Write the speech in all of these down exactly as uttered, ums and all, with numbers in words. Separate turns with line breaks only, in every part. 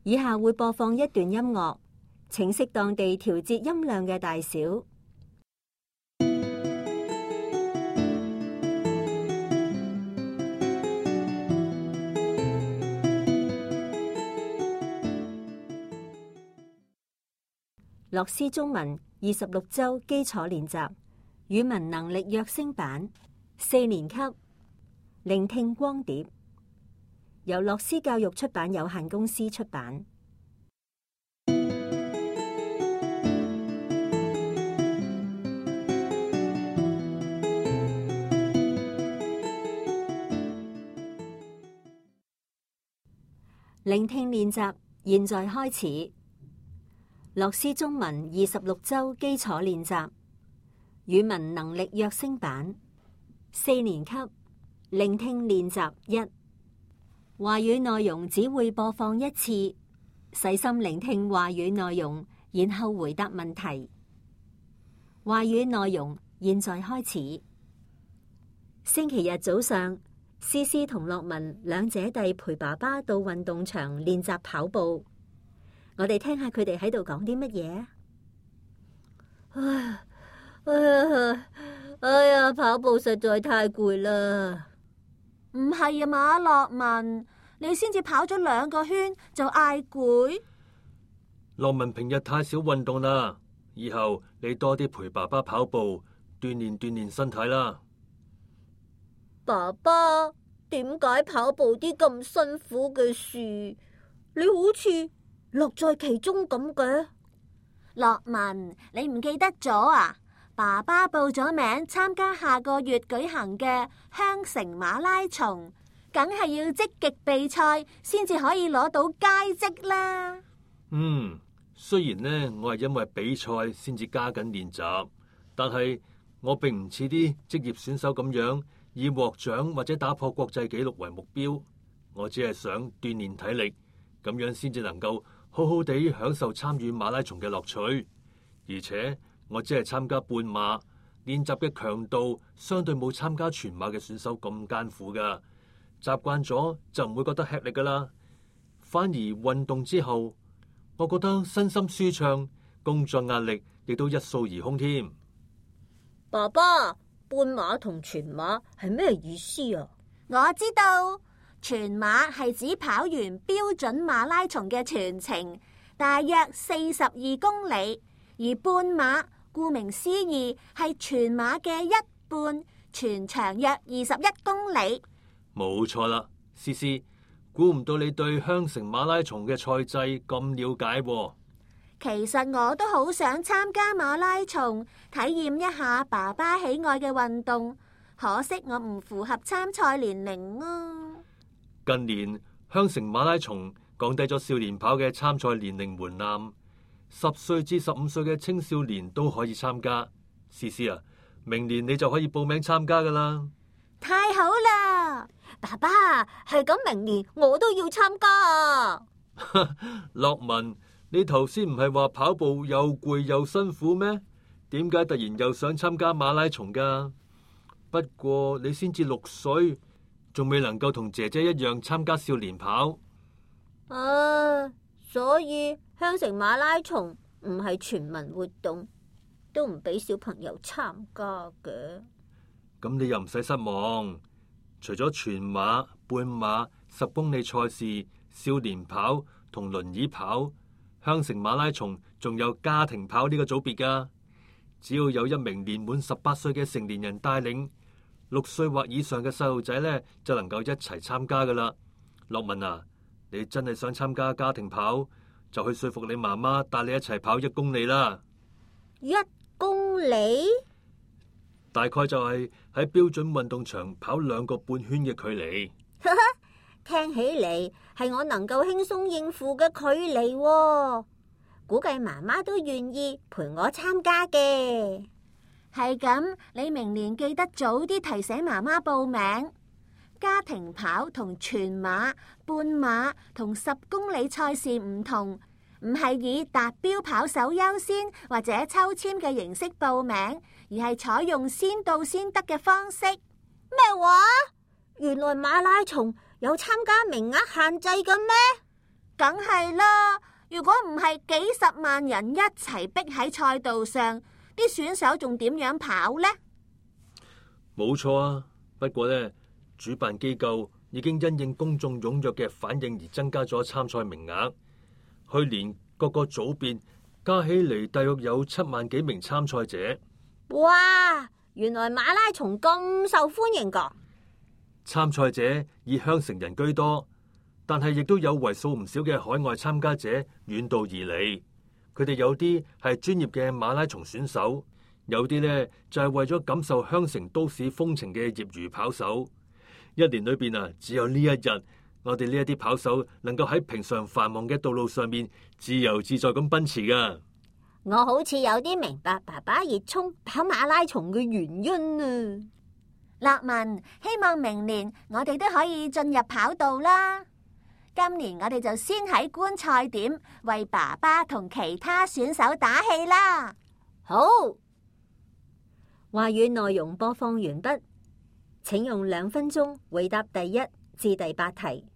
以下會播放一段音樂，請適當地調節音量嘅大小。樂師中文二十六周基礎練習語文能力躍升版四年級聆聽光碟，由樂師教育出版有限公司出版。聆聽練習現在開始。樂師中文二十六周基礎練習語文能力躍升版四年級聆聽練習一。話語內容只會播放一次，細心聆聽話語內容，然後回答問題。話語內容現在開始。星期日早上，思思同樂文兩姐弟陪爸爸到運動場練習跑步。我哋聽下佢哋喺度講啲乜嘢。唉，哎呀，哎呀，跑步實在太攰啦！
唔係啊嘛，樂文，你先至跑咗兩個圈就嗌攰。
樂文平日太少運動啦，以後你多啲陪爸爸跑步，鍛煉鍛煉身體啦。
爸爸，點解跑步啲咁辛苦嘅事，你好似樂在其中咁嘅？
樂文，你唔記得咗啊？爸爸報咗名參加下個月舉行嘅香城馬拉松，梗係要積極備賽先至可以攞到佳績啦。
嗯，雖然呢，我係因為比賽先至加緊練習，但係我並唔似啲職業選手咁樣以獲獎或者打破國際紀錄為目標。我只係想鍛煉體力，咁樣先至能夠好好地享受參與馬拉松嘅樂趣。而且我只係參加半馬，練習嘅強度相對冇參加全馬嘅選手咁艱苦噶。習慣咗就唔會覺得吃力噶啦。反而運動之後，我覺得身心舒暢，工作壓力亦都一掃而空添。
爸爸，半馬同全馬係咩意思啊？
我知道，全馬係指跑完標準馬拉松嘅全程，大約四十二公里，而半馬顧名思義係全馬嘅一半，全長約二十一公里。
冇錯啦，思思，估唔到你對香城馬拉松嘅賽制咁了解喎。
其實我都好想參加馬拉松，體驗一下爸爸喜愛嘅運動，可惜我唔符合參賽年齡啊。
近年香城馬拉松降低咗少年跑嘅參賽年齡門檻，十歲至十五歲嘅青少年都可以參加。思思啊，明年你就可以報名參加噶啦。
太好啦！
爸爸，係咁，明年我都要參加啊。
樂文，你頭先唔係話跑步又攰又辛苦咩？點解突然又想參加馬拉松噶？不過你先至六歲，仲未能夠同姐姐一樣參加少年跑。
啊，所以香城馬拉松唔係全民活動，都唔俾小朋友參加嘅。
咁你又唔使失望，除咗全馬、半馬、十公里賽事、少年跑同輪椅跑，香城馬拉松仲有家庭跑呢個組別噶。只要有一名年滿十八歲嘅成年人帶領，六歲或以上嘅細路仔呢，就能夠一齊參加噶啦。樂文啊，你真係想參加家庭跑，就去說服你媽媽帶你一齊跑一公里啦。
一公里？
大概就係喺標準運動場跑兩個半圈嘅距離。
聽起嚟係我能夠輕鬆應付嘅距離喎，估計媽媽都願意陪我參加嘅。
係咁，你明年記得早啲提醒媽媽報名。家庭跑同全馬、半馬同十公里賽事唔同，唔係以達標跑手優先或者抽籤嘅形式報名，而係採用先到先得嘅方式。
咩話？原來馬拉松有參加名額限制嘅咩？
梗係啦，如果唔係幾十萬人一齊逼喺賽道上，啲選手仲點樣跑呢？
冇錯啊，不過呢，主辦機構已經因應公眾踴躍嘅反應而增加咗參賽名額。去年各個組別加起嚟大約有七萬幾名參賽者。
哇！原來馬拉松咁受歡迎噶。
參賽者以香城人居多，但係亦都有為數唔少嘅海外參加者遠道而嚟。佢哋有啲係專業嘅馬拉松選手，有啲呢就係為咗感受香城都市風情嘅業餘跑手。一年裏邊啊，只有呢一日，我哋呢一啲跑手能夠喺平常繁忙嘅道路上面自由自在咁奔馳噶。
我好似有啲明白爸爸熱衷跑馬拉松嘅原因啊！
樂文，希望明年我哋都可以進入跑道啦。今年我哋就先喺觀賽點為爸爸同其他選手打氣啦。
好，
話語內容播放完畢，請用兩分鐘回答第一至第八題。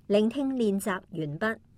聆聽練習完畢。